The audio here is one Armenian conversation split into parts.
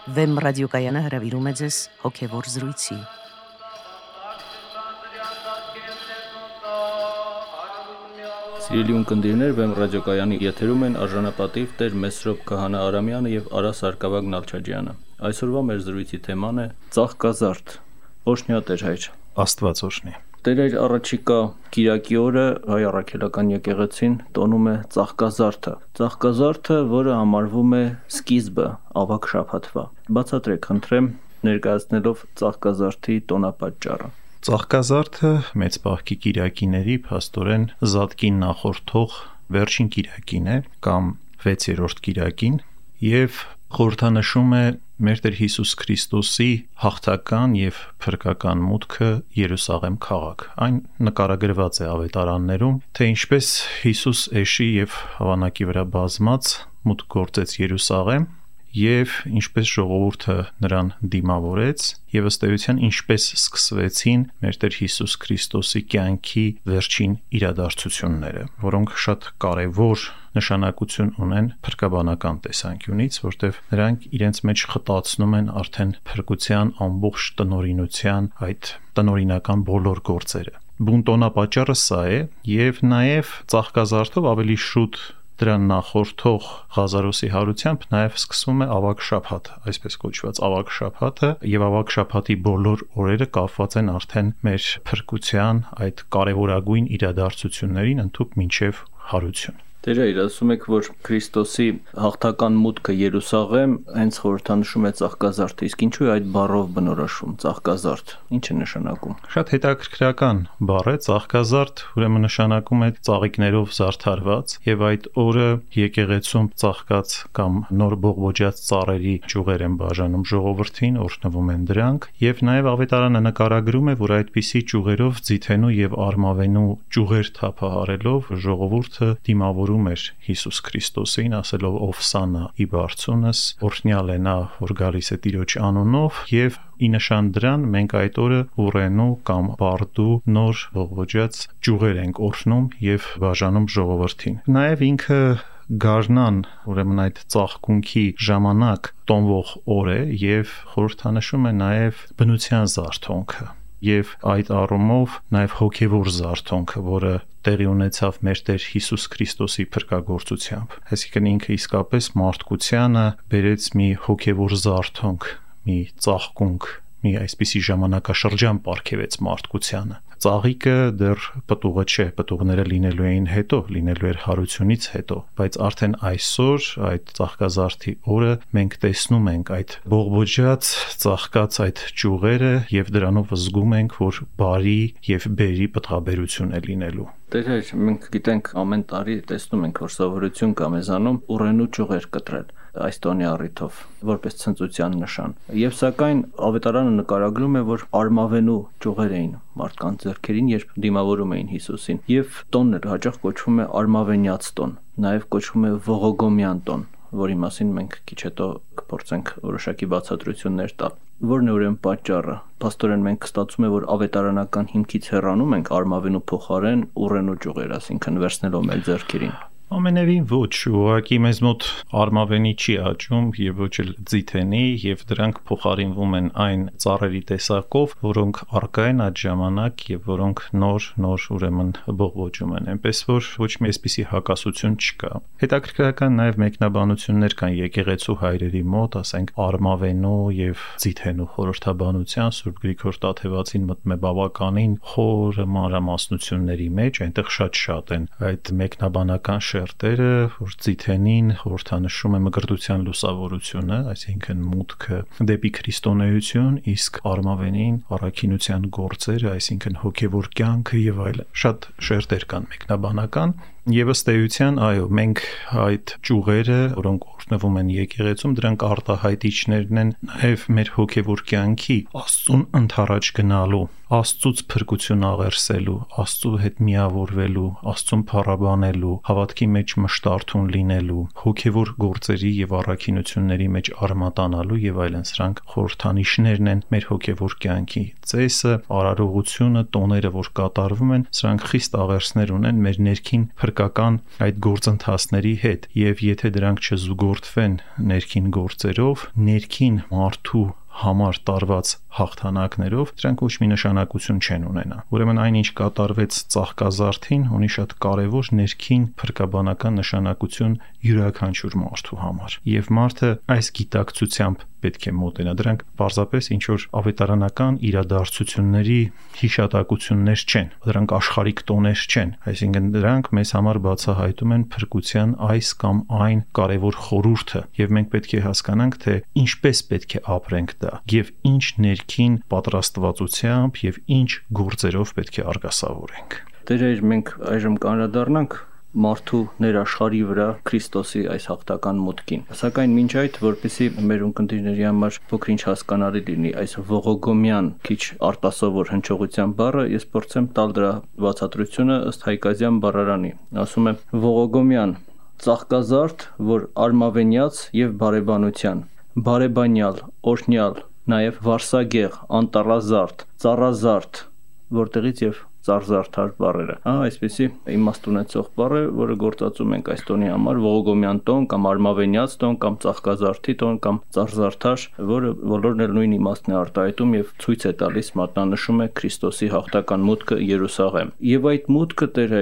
Վեմ ռադիոկայանը հրավիրում է ձեզ հոգևոր զրույցի։ Սիրելի ունկնդիրներ, Վեմ ռադիոկայանի եթերում են արժանապատիվ Տեր Մեսրոպ Քահանա Արամյանը եւ Արա Սարգսակյան Նալչաջյանը։ Այսօրվա մեր զրույցի թեման է ծաղկազարդ։ Օրհնյա Տեր հայր։ Աստված օրհնի։ Տեր հայր, առաջիկա Կիրակի օրը հայ առաքելական եկեղեցին տոնում է ծաղկազարդը։ Ծաղկազարդը, որը համարվում է սկիզբը ավագ շաբաթվա։ Բացատրեք, խնդրեմ, ներկայացնելով ծաղկազարդի տոնապատճառը։ Ծաղկազարդը մեծ պահքի կիրակիների փաստորեն Զատկին նախորդող վերջին կիրակին է կամ 6-րդ կիրակին եւ խորհրդանշում է մեր Տեր Հիսուս Քրիստոսի հաղթական եւ փրկական մուտքը Երուսաղեմ քաղաք։ Այն նկարագրված է ավետարաններում, թե ինչպես Հիսուս էշի եւ հավանակի վրա բազմած մուտք գործեց Երուսաղեմ եւ ինչպես ժողովուրդը նրան դիմավորեց եւ ըստ էության ինչպես սկսվեցին մեր Տեր Հիսուս Քրիստոսի կյանքի վերջին իրադարձությունները, որոնք շատ կարեւոր նշանակություն ունեն փրկաբանական տեսանկյունից, որտեղ նրանք իրենց մեջ խտացնում են արդեն փրկության ամբողջ տնօրինության այդ տնօրինական բոլոր գործերը։ Բունտոնապատճառը սա է եւ նաեւ ծաղկազարդով ավելի շուտ դրան նախորդող Ղազարոսի հարությամբ նաև սկսվում է ավագ շաբաթը, այսպես կոչված ավագ շաբաթը, եւ ավագ շաբաթի բոլոր օրերը կապված են արդեն մեր փրկության այդ կարևորագույն իրադարձություններին ընդհուպ մինչև հարություն։ Տեր հայր, ասում եք, որ Քրիստոսի հաղթական մուտքը Երուսաղեմ հենց խորհրդանշում է ծաղկազարդը, իսկ ինչու է այդ բառով բնորոշում ծաղկազարդ, ինչ է նշանակում։ Շատ հետաքրքրական բառ է, ծաղկազարդ ուրեմն նշանակում է ծաղիկներով զարդարված, եւ այդ օրը եկեղեցում ծաղկած կամ նոր բողբոջած ծառերի ճյուղեր են բաժանում ժողովրդին, օրհնվում են դրանք, եւ նաեւ ավետարանը նկարագրում է, որ այդպիսի ճյուղերով ձիթենու եւ արմավենու ճյուղեր թափահարելով ժողովուրդը դիմավորում էր Հիսուս Քրիստոսին, ասելով «Ովսանա ի բարձունս», օրհնյալ է նա, որ գալիս է Տիրոջ անունով, եւ ի նշան դրան մենք այդ օրը ուռենու կամ բարդու նոր բողբոջած ճյուղեր ենք օրհնում եւ բաժանում ժողովրդին։ Նաեւ ինքը գարնան, ուրեմն այդ ծաղկունքի ժամանակ տոնվող օր է եւ խորհրդանշում է նաեւ բնության զարթոնքը եւ այդ առումով նաեւ հոգեվոր զարթոնքը, որը տեղի ունեցավ մեր Տեր Հիսուս Քրիստոսի փրկagorցությամբ։ Այսինքն ինքը իսկապես մարդկությանը բերեց մի հոգեվոր զարթոնք, մի ծաղկունք, մի այսպիսի ժամանակաշրջան պարգևեց մարդկությանը։ Ծաղիկը դեռ պտուղը չէ, պտուղները լինելու էին հետո, լինելու էր հարությունից հետո, բայց արդեն այսօր այդ ծաղկազարդի օրը մենք տեսնում ենք այդ բողբոջած, ծաղկած այդ ճյուղերը եւ դրանով զգում ենք, որ բարի եւ բերի պտղաբերություն է լինելու։ Տեր հայր, մենք գիտենք ամեն տարի տեսնում ենք, որ սովորություն կա մեզանում ուռենու ճյուղեր կտրել այս տոնի առիթով, որպես ցնծության նշան։ Եվ սակայն ավետարանը նկարագրում է, որ արմավենու ճյուղեր էին մարդկանց ձեռքերին, երբ դիմավորում էին Հիսուսին, եւ տոնն էլ հաճախ կոչվում է արմավենյաց տոն, նաեւ կոչվում է ողոգոմյան տոն, որի մասին մենք քիչ հետո կփորձենք որոշակի բացատրություններ տալ։ Որն է ուրեմն պատճառը։ Փաստորեն մենք ստացվում է, որ ավետարանական հիմքից հեռանում ենք արմավենու փոխարեն ուռենու ճյուղեր, ասինքն վերցնելով մեր ձեռքերին։ Ամենևին ոչ, ուղղակի մեզ մոտ արմավենի չի աճում եւ ոչ էլ ձիթենի եւ դրանք փոխարինվում են այն ծառերի տեսակով, որոնք առկա են այդ ժամանակ եւ որոնք նոր ուրեմն բողբոջում են, այնպես որ ոչ մի այսպիսի հակասություն չկա։ Հետաքրքրական նաեւ մեկնաբանություններ կան եկեղեցու հայրերի մոտ, ասենք արմավենու եւ ձիթենու խորհրդաբանության Սուրբ Գրիգոր Տաթևացին մտնում է բավականին խոր մանրամասնությունների մեջ, այնտեղ շատ են այդ մեկնաբանական շերտերը, որ ձիթենին խորհրդանշում է մկրտության լուսավորությունը, այսինքն մուտքը դեպի քրիստոնեություն, իսկ արմավենին առաքինության գործերը, այսինքն հոգևոր կյանքը եւ այլն։ Շատ շերտեր կան մեկնաբանական եւ ըստ էության, այո, մենք այդ ճյուղերը, որոնք օրհնվում են եկեղեցում, դրանք արտահայտիչներն են նաեւ մեր հոգևոր կյանքի Աստծուն ընդառաջ գնալու, Աստծուց փրկություն աղերսելու, Աստծու հետ միավորվելու, Աստծուն փառաբանելու, հավատքի մեջ մշտարթուն լինելու, հոգևոր գործերի եւ առաքինությունների մեջ արմատանալու եւ այլն, սրանք խորհրդանիշներն են մեր հոգևոր կյանքի ծեսը, արարողությունը, տոները, որ կատարվում են, սրանք խիստ աղերսներ ունեն մեր ներքին քրեակական այդ գործընթացների հետ, եւ եթե դրանք չզուգորդվեն ներքին գործերով, ներքին մարդու համար տարված հաղթանակներով, դրանք ոչ մի նշանակություն չեն ունենա։ Ուրեմն այնինչ կատարվեց ծաղկազարդին, ունի շատ կարևոր ներքին փրկաբանական նշանակություն յուրաքանչյուր մարդու համար։ Եվ մարդը այս գիտակցությամբ պետք է մոտենա։ Դրանք պարզապես ինչ որ ավետարանական իրադարձությունների հիշատակություններ չեն, դրանք աշխարհիկ տոներ չեն, այսինքն դրանք մեզ համար բացահայտում են փրկության այս կամ այն կարևոր խորհուրդը, եւ մենք պետք է հասկանանք, թե ինչպես պետք է ապրենք դա, եւ ինչ ներքին պատրաստվածությամբ եւ ինչ գործերով պետք է արգասավորենք։ Դեր մենք այժմ կանրադառնանք մարդու ներաշխարհի վրա Քրիստոսի այս հաղթական մուտքին։ Սակայն մինչ այդ, որպեսզի մեր ունկնդիրների համար փոքր-ինչ հասկանալի լինի այս ողոգոմյան քիչ արտասովոր հնչողության բառը, ես փորձեմ տալ դրա բացատրությունը ըստ Հայկազյան բառարանի։ Ասում է ողոգոմյան ծաղկազարդ, որ արմավենյաց եւ բարեբանության, բարեբանյալ, օրհնյալ, նաեւ վարսագեղ, անտառազարդ, ծառազարդ, որտեղից եւ ծառզարդար բառերը։ Այսպեսի իմաստ ունեցող բառ է, որը գործածում ենք այս տոնի համար, ողոգոմյան տոն կամ արմավենյաց տոն կամ ծաղկազարդի տոն կամ ծառզարդար, որը բոլորն էլ նույն իմաստն է արտահայտում եւ ցույց է տալիս, մատնանշում է Քրիստոսի հաղթական մուտքը Երուսաղեմ։ Եվ այդ մուտքը Տեր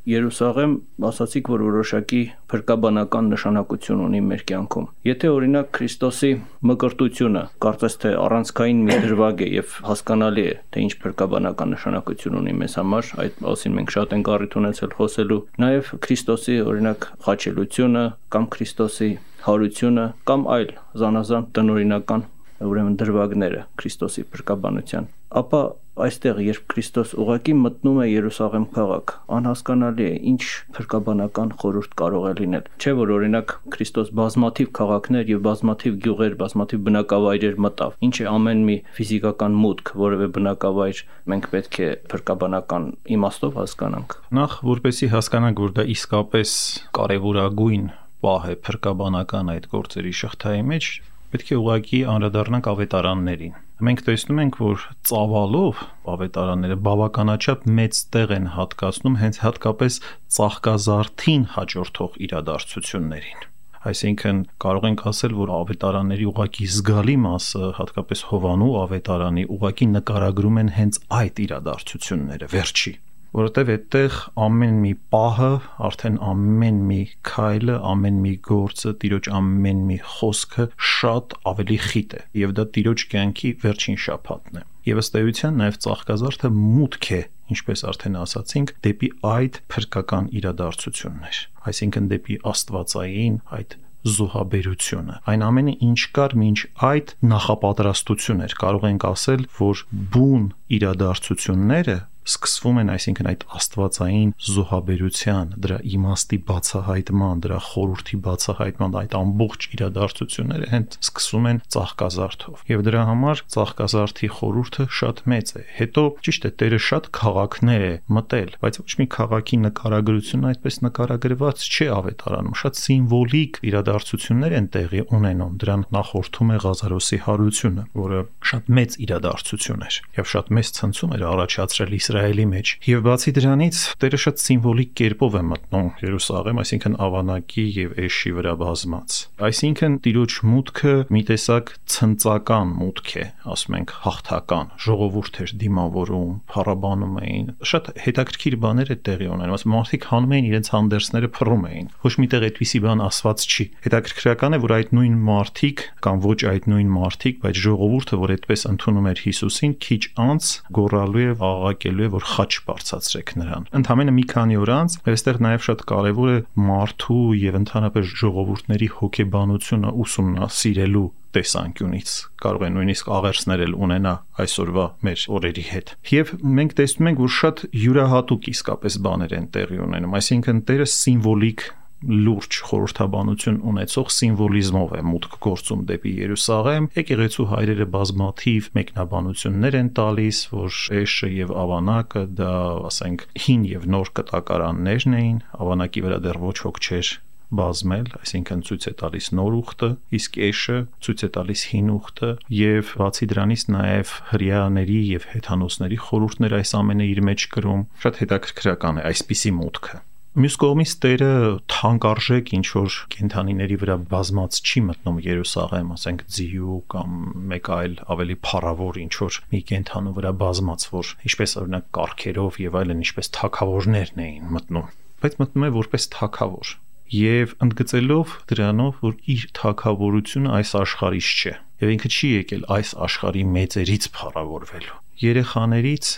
Երուսաղեմ, ասացիք, որ որոշակի փրկաբանական նշանակություն ունի մեր կյանքում։ Եթե օրինակ Քրիստոսի մկրտությունը կարծես թե առանցքային մի դրվագ է եւ հասկանալի է, թե ինչ փրկաբանական նշանակություն ունի մեզ համար, այդ մասին մենք շատ ենք առիթ ունեցել խոսելու, նաեւ Քրիստոսի օրինակ խաչելությունը կամ Քրիստոսի հարությունը կամ այլ զանազան տնօրինական ուրեմն դրվագները Քրիստոսի փրկաբանության, ապա այստեղ երբ Քրիստոս ուղղակի մտնում է Երուսաղեմ քաղաք, անհասկանալի է ինչ փրկաբանական խորհուրդ կարող է լինել։ Չէ՞ որ օրինակ Քրիստոս բազմաթիվ քաղաքներ եւ բազմաթիվ գյուղեր, բազմաթիվ բնակավայրեր մտավ։ Ինչ է ամեն մի ֆիզիկական մուտք, որևէ բնակավայր մենք պետք է փրկաբանական իմաստով հասկանանք։ Նախ որպեսզի հասկանանք, որ դա իսկապես կարևորագույն պահ է փրկաբանական այդ գործերի շղթայի մեջ, պետք է ուղղակի անդրադառնանք ավետարաններին։ Մենք տեսնում ենք, որ ծավալով ավետարանները բավականաչափ մեծ տեղ են հատկացնում հենց հատկապես ծաղկազարդին հաջորդող իրադարձություններին։ Այսինքն կարող ենք ասել, որ ավետարանների ուղղակի զգալի մասը, հատկապես Հովանու ավետարանի, ուղղակի նկարագրում են հենց այդ իրադարձությունները, վերջի, որովհետև այդտեղ ամեն մի պահը, արդեն ամեն մի քայլը, ամեն մի գործը, Տիրոջ ամեն մի խոսքը շատ ավելի խիտ է, եւ դա Տիրոջ կյանքի վերջին շաբաթն է։ Եվ ըստ էության նաև ծաղկազարդը մուտք է, ինչպես արդեն ասացինք, դեպի այդ փրկական իրադարձություններ, այսինքն դեպի աստվածային այդ զոհաբերությունը։ Այն ամենը ինչ կար մինչ այդ նախապատրաստություն էր, կարող ենք ասել, որ բուն իրադարձությունները սկսվում են, այսինքն այդ աստվածային զոհաբերության, դրա իմաստի բացահայտման, դրա խորհրդի բացահայտման, այդ ամբողջ իրադարձությունները հենց սկսում են ծաղկազարդով։ Եվ դրա համար ծաղկազարդի խորհուրդը շատ մեծ է։ Հետո ճիշտ է, Տերը շատ քաղաքներ է մտել, բայց ոչ մի քաղաքի նկարագրությունը այդպես նկարագրված չէ ավետարանում, շատ սիմվոլիկ իրադարձություններ են տեղի ունենում։ Դրան նախորդում է Ղազարոսի հարությունը, որը շատ մեծ իրադարձություն էր եւ շատ մեծ ցնցում էր առաջացրել Իսրայելի մեջ։ Եվ բացի դրանից, Տերը շատ սիմվոլիկ կերպով է մտնում Երուսաղեմ, այսինքն ավանակի եւ էշի վրա բազմած։ Այսինքն Տիրոջ մուտքը մի տեսակ ցնծական մուտք է, ասում ենք հաղթական, ժողովուրդ էր դիմավորում, փառաբանում էին, շատ հետաքրքիր բաներ է տեղի ունենում, ասում մարդիկ հանում էին իրենց հանդերձները փռում էին։ Ոչ միտեղ այդպիսի բան ասված չի։ Հետաքրքրական է, որ այդ նույն մարդիկ կամ ոչ այդ նույն մարդիկ, բայց ժողովուրդը, որ այդպես ընդունում էր Հիսուսին, քիչ անց գոռալու է, աղաղակելու է, որ խաչ բարձրացրեք նրան։ Ընդամենը մի քանի օր անց, այստեղ նաև շատ կարևոր է մարդու եւ ընդհանրապես ժողովուրդների հոգեբանությունը ուսումնասիրելու տեսանկյունից, կարող է նույնիսկ աղերսներ էլ ունենա այսօրվա մեր օրերի հետ։ Եվ մենք տեսնում ենք, որ շատ յուրահատուկ իսկապես բաներ են տեղի ունենում, այսինքն Տերը սիմվոլիկ լուրջ խորհրդաբանություն ունեցող սիմվոլիզմով է մուտք գործում դեպի Երուսաղեմ։ Եկեղեցու հայրերը բազմաթիվ մեկնաբանություններ են տալիս, որ էշը եւ ավանակը դա, ասենք, հին եւ նոր կտակարաններն էին, ավանակի վրա դեռ ոչ ոք չէր բազմել, այսինքն ցույց է տալիս նոր ուխտը, իսկ էշը ցույց է տալիս հին ուխտը, եւ բացի դրանից նաեւ հրեաների եւ հեթանոսների խորհուրդներ այս ամենը իր մեջ կրում։ Շատ հետաքրքրական է այսպիսի մուտքը։ Մյուս կողմից Տերը թանկարժեք ինչ որ կենդանիների վրա բազմած չի մտնում Երուսաղեմ, ասենք ձիու կամ մեկ այլ ավելի փառավոր ինչ որ մի կենդանու վրա բազմած, որ ինչպես օրինակ կառքերով եւ այլն, ինչպես թագավորներն էին մտնում, բայց մտնում է որպես թագավոր եւ ընդգծելով դրանով, որ իր թագավորությունը այս աշխարհից չէ եւ ինքը չի եկել այս աշխարհի մեծերից փառավորվելու, երեխաներից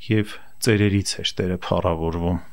եւ ծերերից էր Տերը փառավորվում։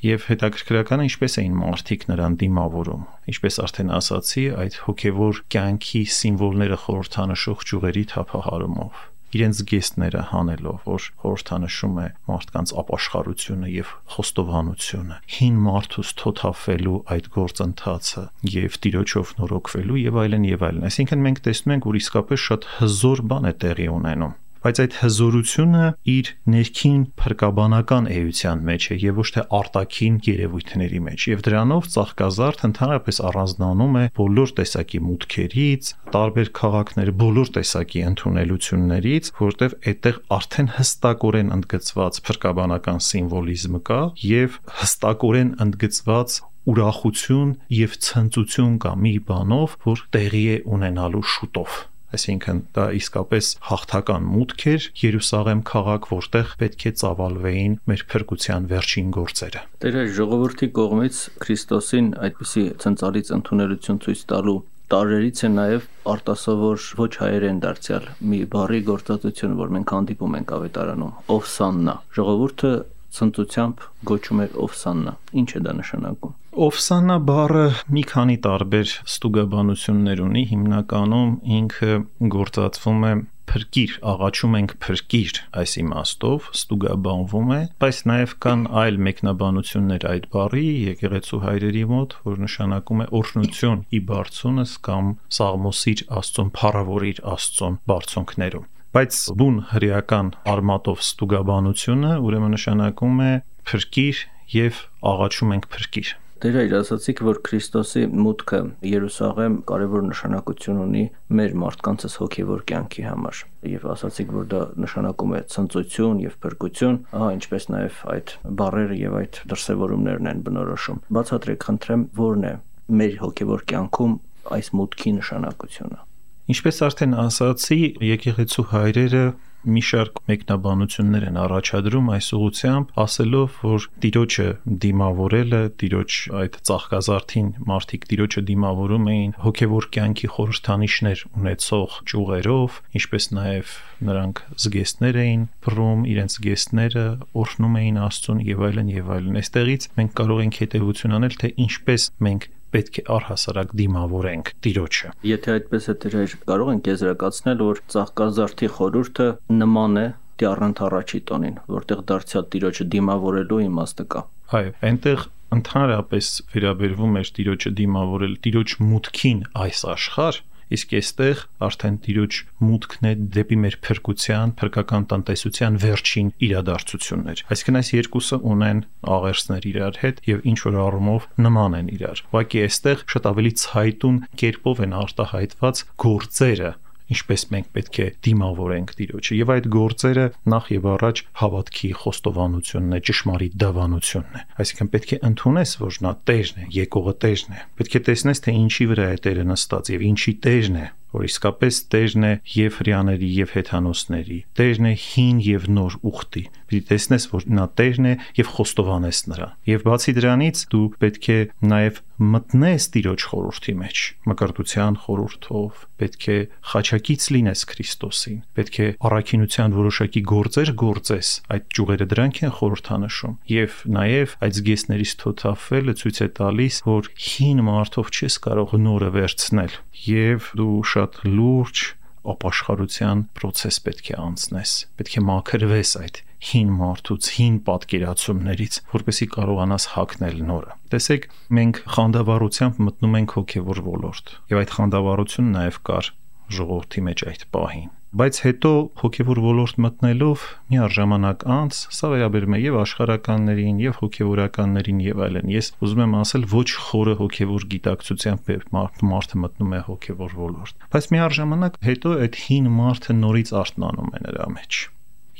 Եվ հետաքրքրականը ինչպես էին մարդիկ նրան դիմավորում, ինչպես արդեն ասացի, այդ հոգևոր կյանքի սիմվոլները խորհրդանշող ճյուղերի թափահարումով, իրենց զգեստները հանելով, որ խորհրդանշում է մարդկանց ապաշխարությունը եւ խոստովանությունը, հին մարդուց թոթափվելու այդ գործընթացը եւ Տիրոջով նորոգվելու եւ այլն եւ այլն։ Այսինքն մենք տեսնում ենք, որ իսկապես շատ հզոր բան է տեղի ունենում։ Բայց այդ հզորությունը իր ներքին փրկաբանական էության մեջ է եւ ոչ թե արտաքին երևույթների մեջ, եւ դրանով Ծաղկազարդ ընդհանրապես առանձնանում է բոլոր տեսակի մուտքերից, տարբեր քաղաքներ, բոլոր տեսակի ընդունելություններից, որտեղ այդտեղ արդեն հստակորեն ընդգծված փրկաբանական սիմվոլիզմ կա եւ հստակորեն ընդգծված ուրախություն եւ ցնծություն կա մի բանով, որ տեղի է ունենալու շուտով։ Այսինքն դա իսկապես հաղթական մուտք էր Երուսաղեմ քաղաք, որտեղ պետք է ծավալվեին մեր փրկության վերջին գործերը։ Տերը ժողովրդի կողմից Քրիստոսին այդպիսի ցնցալից ընդունելություն ցույց տալու տարերից է նաև արտասովոր ոչ հայերեն դարձյալ մի բառի գործածություն, որ մենք հանդիպում ենք Ավետարանում՝ Օվսաննա։ Ժողովուրդը ցնծությամբ գոչում էր Օվսաննա։ Ինչ է դա նշանակում։ Օվսաննա բառը մի քանի տարբեր ստուգաբանություններ ունի, հիմնականում ինքը գործածվում է փրկիր, աղաչում ենք փրկիր այս իմաստով, ստուգաբանվում է, բայց նաև կան այլ մեկնաբանություններ այդ բառի եկեղեցու հայրերի մոտ, որ նշանակում է օրհնություն ի բարձունս կամ սաղմոսիր Աստծուն, փառավորիր Աստծուն բարձունքներում։ Բայց բուն հրեական արմատով ստուգաբանությունը ուրեմն նշանակում է փրկիր եւ աղաչում ենք փրկիր։ Դեր այր ասացիք, որ Քրիստոսի մուտքը Երուսաղեմ կարևոր նշանակություն ունի մեր մարդկանցս հոգևոր կյանքի համար եւ ասացիք, որ դա նշանակում է ցնծություն եւ փրկություն, ինչպես նաեւ այդ բառերը եւ այդ դրսեւորումներն են բնորոշում։ Բացատրեք, խնդրեմ, ո՞րն է մեր հոգևոր կյանքում այս մուտքի նշանակությունը։ Ինչպես արդեն ասացի, եկեղեցու հայրերը մի շարք մեկնաբանություններ են առաջադրում այս ուղղությամբ, ասելով, որ Տիրոջը դիմավորելը, Տիրոջ այդ Ծաղկազարդին մարդիկ Տիրոջը դիմավորում էին հոգևոր կյանքի խորհրդանիշներ ունեցող ճյուղերով, ինչպես նաև նրանք զգեստներ էին բռում, իրենց զգեստները օրհնում էին Աստծուն եւ այլն եւ այլն։ Այստեղից մենք կարող ենք հետեւություն անել, թե ինչպես մենք պետք է առհասարակ դիմավորենք Տիրոջը։ Եթե այդպես է, դեր կարող ենք եզրակացնել, որ Ծաղկազարդի խորհուրդը նման է Տիառանթ առաջի տոնին, որտեղ դարձյալ Տիրոջը դիմավորելու իմաստը կա։ Այո, այնտեղ ընդհանրապես վերաբերվում էր Տիրոջը դիմավորել Տիրոջ մուտքին այս աշխարհ, իսկ այստեղ արդեն Տիրոջ մուտքն է դեպի մեր փրկության, փրկական տնտեսության վերջին իրադարձություններ։ Այսինքն այս երկուսը ունեն աղերսներ իրար հետ եւ ինչ որ առումով նման են իրար։ Ուղղակի այստեղ շատ ավելի ցայտուն կերպով են արտահայտված գործերը, ինչպես մենք պետք է դիմավորենք Տիրոջը, եւ այդ գործերը նախ եւ առաջ հավատքի խոստովանությունն է, ճշմարիտ դավանությունն է։ Այսինքն պետք է ընդունես, որ նա Տերն է, եկողը Տերն է։ Պետք է տեսնես, թե ինչի վրա է Տերը նստած եւ ինչի Տերն է, որ իսկապես Տերն է եւ հրյաների եւ հեթանոսների, Տերն է հին եւ նոր ուխտի։ Պիտի տեսնես, որ նա Տերն է եւ խոստովանես նրան։ Եվ բացի դրանից դու պետք է նաեւ մտնես Տիրոջ խորհրդի մեջ, մկրտության խորհրդով, պետք է խաչակից լինես Քրիստոսին, պետք է առաքինության որոշակի գործեր գործես, այդ ճյուղերը դրանք են խորհրդանշում, եւ նաեւ այդ զգեստներից թոթափվելը ցույց է տալիս, որ հին մարդով չես կարող նորը վերցնել, եւ դու շատ լուրջ ապաշխարության process պետք է անցնես, պետք է մաքրվես այդ հին մարդուց, հին պատկերացումներից, որպեսզի կարողանաս հագնել նորը։ Տեսեք, մենք խանդավառությամբ մտնում ենք հոգևոր ոլորտ, եւ այդ խանդավառությունը նաեւ կար ժողովրդի մեջ այդ պահին։ Բայց հետո հոգևոր ոլորտ մտնելով միառժամանակ անց, սա վերաբերում է եւ աշխարհականներին, եւ հոգևորականներին եւ այլն։ Ես ուզում եմ ասել, ոչ խորը հոգևոր գիտակցությամբ մարդը մտնում է հոգևոր ոլորտ։ Բայց միառժամանակ հետո այդ հին մարդը նորից արթնանում է նրա մեջ։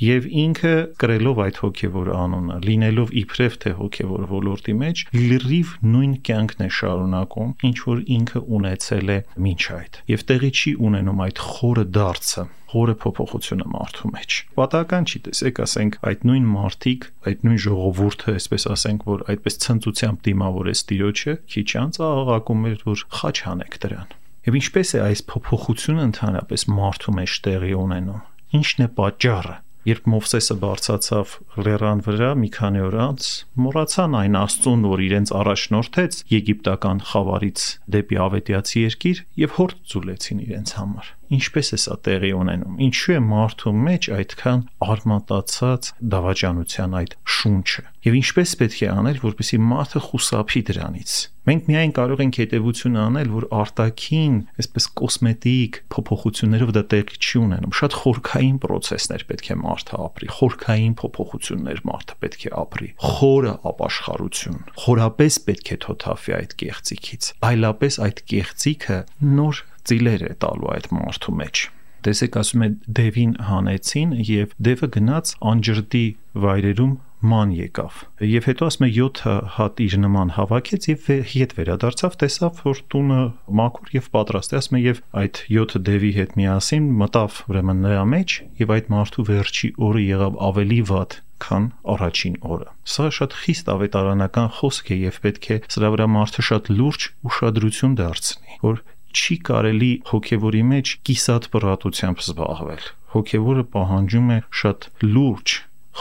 Եվ ինքը կրելով այդ հոգևոր անունը, լինելով իբրև թե հոգևոր ոլորտի մեջ, լրիվ նույն կյանքն է շարունակում, ինչ որ ինքը ունեցել է մինչ այդ։ Եվ տեղի չի ունենում այդ խորը դարձը, խորը փոփոխությունը մարդու մեջ։ Պատահական չի, տեսեք, ասենք, այդ նույն մարդիկ, այդ նույն ժողովուրդը, այսպես ասենք, որ այդպես ցնծությամբ դիմավորեց Տիրոջը, քիչ անց աղաղակում էր, որ խաչ հանեք դրան։ Եվ ինչպես է այս փոփոխությունը ընդհանրապես մարդու մեջ տեղի ունենում։ Ինչն է պատճառը։ Երբ Մովսեսը բարձրացավ լեռան վրա մի քանի օր անց, մոռացան այն Աստծուն, որ իրենց առաջնորդեց եգիպտական խավարից դեպի ավետյացի երկիր եւ հորդ ձուլեցին իրենց համար։ Ինչպես է սա տեղի ունենում։ Ինչու է մարդու մեջ այդքան արմատացած դավաճանության այդ շունչը։ Եվ ինչպես պետք է անել, որպեսզի մարդը խուսափի դրանից։ Մենք միայն կարող ենք հետևություն անել, որ արտաքին, այսպես կոսմետիկ փոփոխություններով դա տեղի չի ունենում։ Շատ խորքային process-ներ պետք է մարդը ապրի, խորքային փոփոխություններ մարդը պետք է ապրի, խորը ապաշխարություն։ Խորապես պետք է թոթափի այդ կեղծիքից։ Այլապես այդ կեղծիքը նոր ծիլեր է տալու այդ մարդու մեջ։ Տեսեք, ասում է դևին հանեցին եւ դևը գնաց անջրդի վայրերում ման եկավ։ Եվ հետո ասում է 7 հատ իր նման հավաքեց եւ հետ վերադարձավ, տեսավ, որ տունը մաքուր եւ պատրաստ է, ասում է եւ այդ 7 դևի հետ միասին մտավ ուրեմն նրա մեջ եւ այդ մարդու վերջի օրը եղավ ավելի վատ քան առաջին օրը։ Սա շատ խիստ ավետարանական խոսք է եւ պետք է սրա վրա մարդը շատ լուրջ ուշադրություն դարձնի, որ չի կարելի հոգևորի մեջ կիսատ պրատությամբ զբաղվել։ Հոգևորը պահանջում է շատ լուրջ,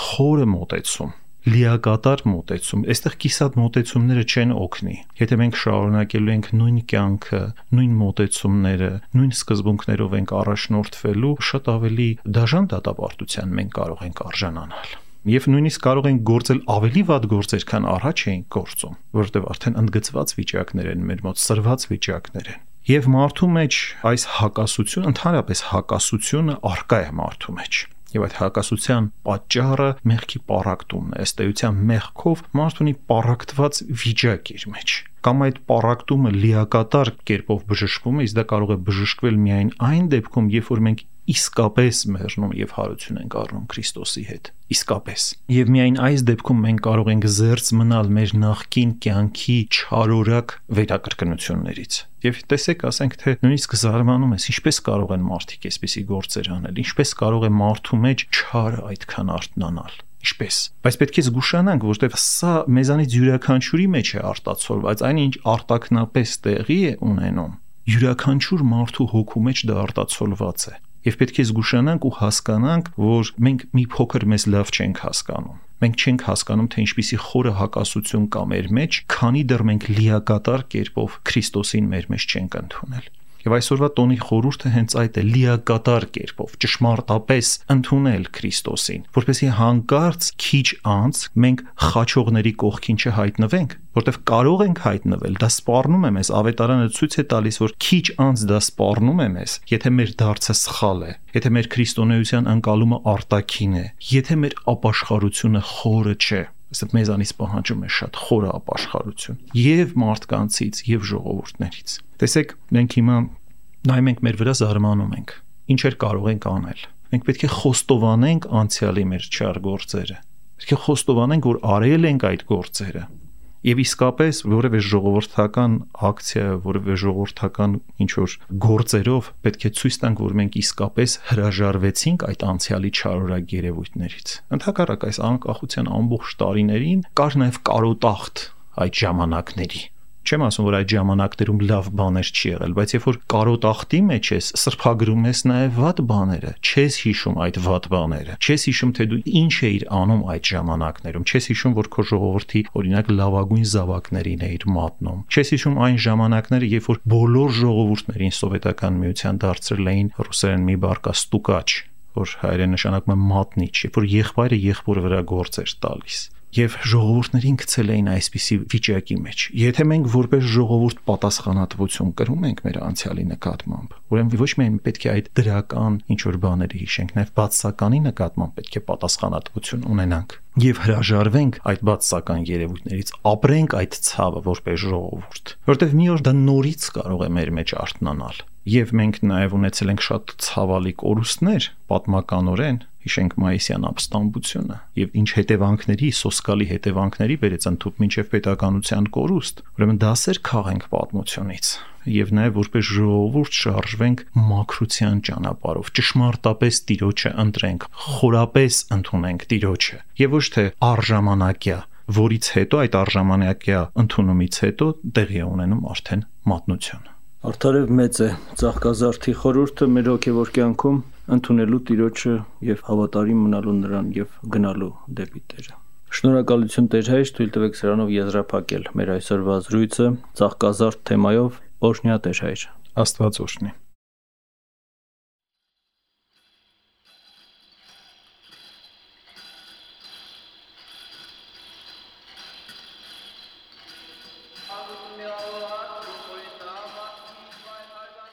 խորը մոտեցում, լիակատար մոտեցում։ Այստեղ կիսատ մոտեցումները չեն օգնի։ Եթե մենք շարունակելու ենք նույն կյանքը, նույն մոտեցումները, նույն սկզբունքներով ենք առաջնորդվելու, շատ ավելի դաժան դատապարտության մենք կարող ենք արժանանալ։ Եվ նույնիսկ կարող ենք գործել ավելի վատ գործեր, քան առաջ էինք գործում, որովհետև արդեն ընդգծված վիճակներ են մեր մոտ, սրված վիճակներ են։ Եվ մարդու մեջ այս հակասությունը, ընդհանրապես հակասությունը արկա է մարդու մեջ։ Եվ այդ հակասության պատճառը մեղքի պառակտումն է։ Ըստ էության մեղքով մարդը ունի պառակտված վիճակ իր մեջ։ Կամ այդ պառակտումը լիակատար կերպով բժշկվում է, իսկ դա կարող է բժշկվել միայն այն դեպքում, երբ որ մենք իսկապես մեռնում եւ հարություն ենք առնում Քրիստոսի հետ։ Իսկապես։ Եվ միայն այս դեպքում մենք կարող ենք զերծ մնալ մեր նախկին կյանքի չարորակ վերակրկնություններից։ Եվ տեսեք, ասենք թե նույնիսկ զարմանում ես, ինչպես կարող են մարդիկ այսպիսի գործեր անել, ինչպես կարող է մարդու մեջ չարը այդքան արթնանալ։ Ինչպես։ Բայց պետք է զգուշանանք, որովհետև սա մեզանից յուրաքանչյուրի մեջ է արտացոլված, այնինչ արտակնապես տեղի է ունենում, յուրաքանչյուր մարդու հոգու մեջ դա արտացոլված է։ Եվ պետք է զգուշանանք ու հասկանանք, որ մենք մի փոքր մեզ լավ չենք հասկանում։ Մենք չենք հասկանում, թե ինչպիսի խորը հակասություն կա մեր մեջ, քանի դեռ մենք լիակատար կերպով Քրիստոսին մեր մեջ չենք ընդունել։ Եվ այսօրվա տոնի խորհուրդը հենց այդ է՝ լիակատար կերպով, ճշմարտապես ընդունել Քրիստոսին, որպեսզի հանկարծ քիչ անց մենք խաչողների կողքին չհայտնվենք, որտեղ կարող ենք հայտնվել, դա սպառնում է մեզ, ավետարանը ցույց է տալիս, որ քիչ անց դա սպառնում է մեզ, եթե մեր դարձը սխալ է, եթե մեր քրիստոնեության ընկալումը արտաքին է, եթե մեր ապաշխարությունը խորը չէ։ Այսինքն մեզանից պահանջում է շատ խորը ապաշխարություն եւ մարդկանցից եւ ժողովուրդներից։ Տեսեք, մենք հիմա նայում ենք մեր վրա, զարմանում ենք։ Ինչեր կարող ենք անել։ Մենք պետք է խոստովանենք անցյալի մեր չար գործերը։ Պետք է խոստովանենք, որ արել ենք այդ գործերը։ Եվ իսկապես որևէ ժողովրդական ակցիա, որևէ ժողովրդական ինչ-որ գործերով պետք է ցույց տանք, որ մենք իսկապես հրաժարվեցինք այդ անցյալի չարորակ երևույթներից։ Ընդհակառակ այս անկախության ամբողջ տարիներին կար նաև կարոտախտ այդ ժամանակների։ Չեմ ասում, որ այդ ժամանակներում լավ բաներ չի եղել, բայց երբ որ կարոտախտի մեջ ես, սրբագրում ես նաև վատ բաները, չես հիշում այդ վատ բաները, չես հիշում, թե դու ինչ էիր անում այդ ժամանակներում, չես հիշում, որ քո ժողովրդի օրինակ լավագույն զավակներին էիր մատնում, չես հիշում այն ժամանակները, երբ որ բոլոր ժողովուրդներին Սովետական Միության դարձրել էին ռուսերեն մի բարկա ստուկաչ, որ հայերեն նշանակում է մատնիչ, երբ որ եղբայրը եղբորը վրա գործ էր տալիս։ Եվ ժողովուրդներին գցել էին այսպիսի վիճակի մեջ։ Եթե մենք որպես ժողովուրդ պատասխանատվություն կրում ենք մեր անցյալի նկատմամբ, ուրեմն ոչ միայն պետք է այդ դրական ինչ-որ բաները հիշենք, նաև բացասականի նկատմամբ պետք է պատասխանատվություն ունենանք եւ հրաժարվենք այդ բացասական երևույթներից, ապրենք այդ ցավը որպես ժողովուրդ, որովհետեւ մի օր դա նորից կարող է մեր մեջ արթնանալ։ Եվ մենք նաև ունեցել ենք շատ ցավալի կորուստներ պատմականորեն, հիշենք մայիսյան ապստամբությունը եւ ինչ հետևանքների, սոսկալի հետևանքների բերեց ընդཐུպ մինչեւ պետականության կորուստ, ուրեմն դասեր քաղենք պատմությունից եւ նաեւ որպես ժողովուրդ շարժվենք մաքրության ճանապարհով, ճշմարտապես Տիրոջը ընտրենք, խորապես ընդունենք Տիրոջը եւ ոչ թե արժամանակյա, որից հետո այդ արժամանակյա ընդունումից հետո տեղի է ունենում արդեն մատնություն։ Արդարև մեծ է Ծաղկազարդի խորհուրդը մեր հոգևոր կյանքում ընդունելու Տիրոջը եւ հավատարիմ մնալու նրան եւ գնալու դեպի Տերը։ Շնորհակալություն Տեր հայր, թույլ տվեք սրանով եզրափակել մեր այսօրվա զրույցը Ծաղկազարդ թեմայով։ Օրհնյա Տեր հայր։ Աստված օրհնի։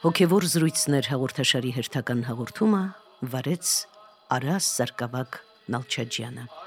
Հոգևոր զրույցներ հաղորդաշարի հերթական հաղորդումը վարեց Արաս Սարգսակ Նալչաջյանը։